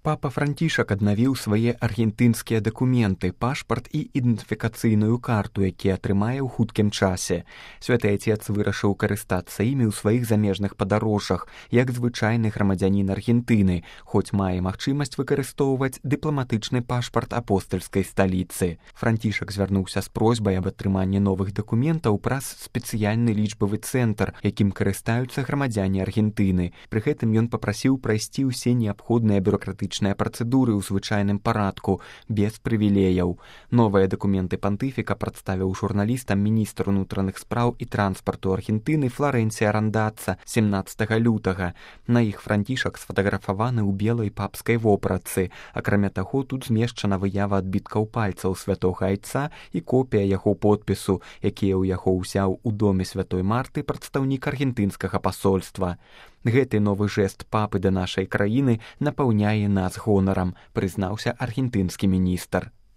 Папа Францішак аднавіў свае аргентынскія дакументы, пашпарт і ідэнтыфікацыйную карту, якія атрымае ў хуткім часе. Святы Отец вырашыў карыстацца імі ў сваіх замежных падарожжах, як звычайны грамадзянін Аргентыны, хоць мае магчымасць выкарыстоўваць дыпламатычны пашпарт апостальскай сталіцы. Францішак звярнуўся з просьбай аб атрыманні новых дакументаў праз спецыяльны лічбавы цэнтр, якім карыстаюцца грамадзяне Аргентыны. Пры гэтым ён папрасіў прайсці ўсе неабходныя бюракратычныя працэдуры ў звычайным парадку, без прывілеяў. Новыя дакументы пантыфіка прадставіў журналістам міністр унутраных спраў і транспарту Аргентыны Флорэнція Рандатца 17 лютага. На іх Францішак сфатаграфаваны ў белай папскай вопратцы. Акрамя таго, тут змешчана выява адбіткаў пальцаў святога Айца і копія яго подпісу, якія ў яго ўзяў у доме святой Марты прадстаўнік аргентынскага пасольства. Гэты новы жэст папы да нашай краіны напаўняе нас гонарам, прызнаўся аргентынскі міністр.